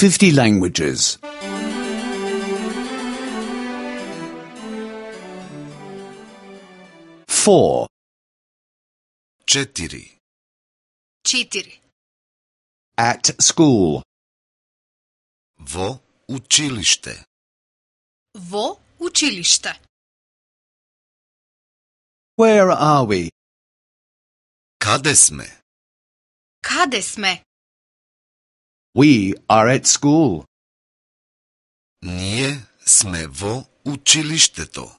50 languages. 4. 4. 4. At school. Во училиште. Во училиште. Where are we? Каде сме? Каде сме? We are at school. Ние сме во училиштето.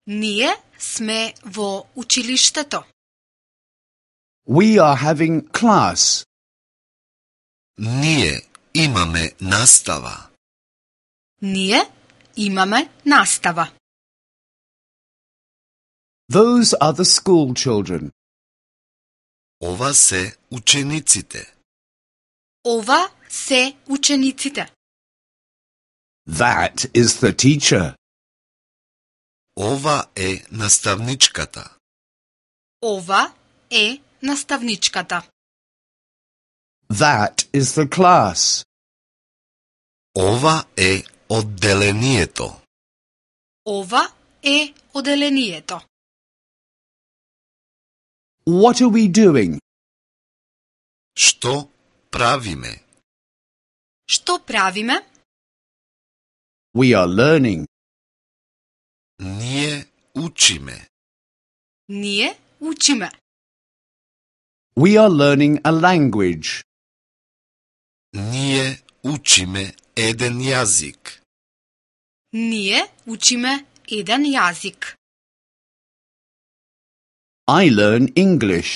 Ние сме во училиштето. We are having class. Ние имаме настава. Ние имаме настава. Those are the school children. Ова се учениците. Ова се учениците. That is the teacher. Ова е наставничката. Ова е наставничката. That is the class. Ова е одделението. Ова е оделението. What are we doing? Што правиме? Што правиме? We are learning. Ние учиме. Ние учиме. We are learning a language. Ние учиме еден јазик. Ние учиме еден јазик. I learn English.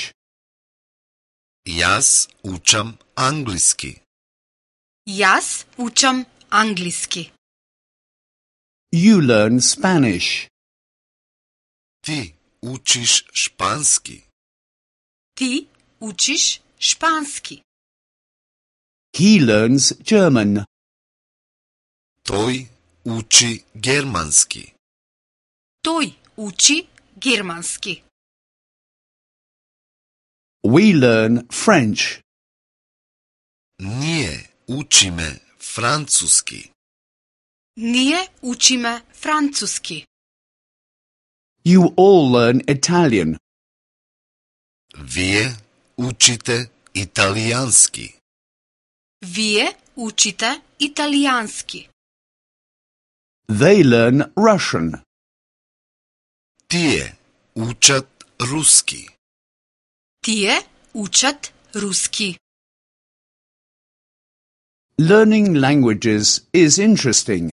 Јас учам англиски. Јас учам англиски. You learn Spanish. Ти учиш шпански. Ти учиш шпански. He learns German. Тој учи германски. Тој учи германски. We learn French. Ние учиме француски. Ние учиме француски. You all learn Italian. Вие учите италијански. Вие учите италијански. They learn Russian. Тие учат руски. Тие учат руски. Learning languages is interesting.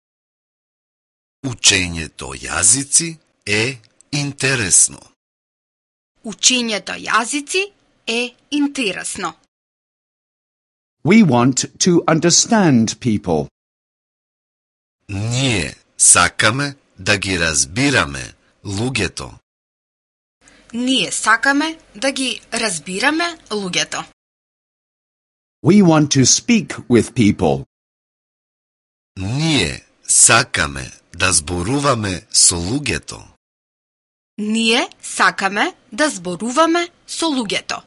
Учењето јазици е интересно. Учењето јазици е интересно. We want to understand people. Ние сакаме да ги разбираме луѓето. Ние сакаме да ги разбираме луѓето. We want to speak with people. Ние сакаме да зборуваме со луѓето. Ние сакаме да зборуваме со луѓето.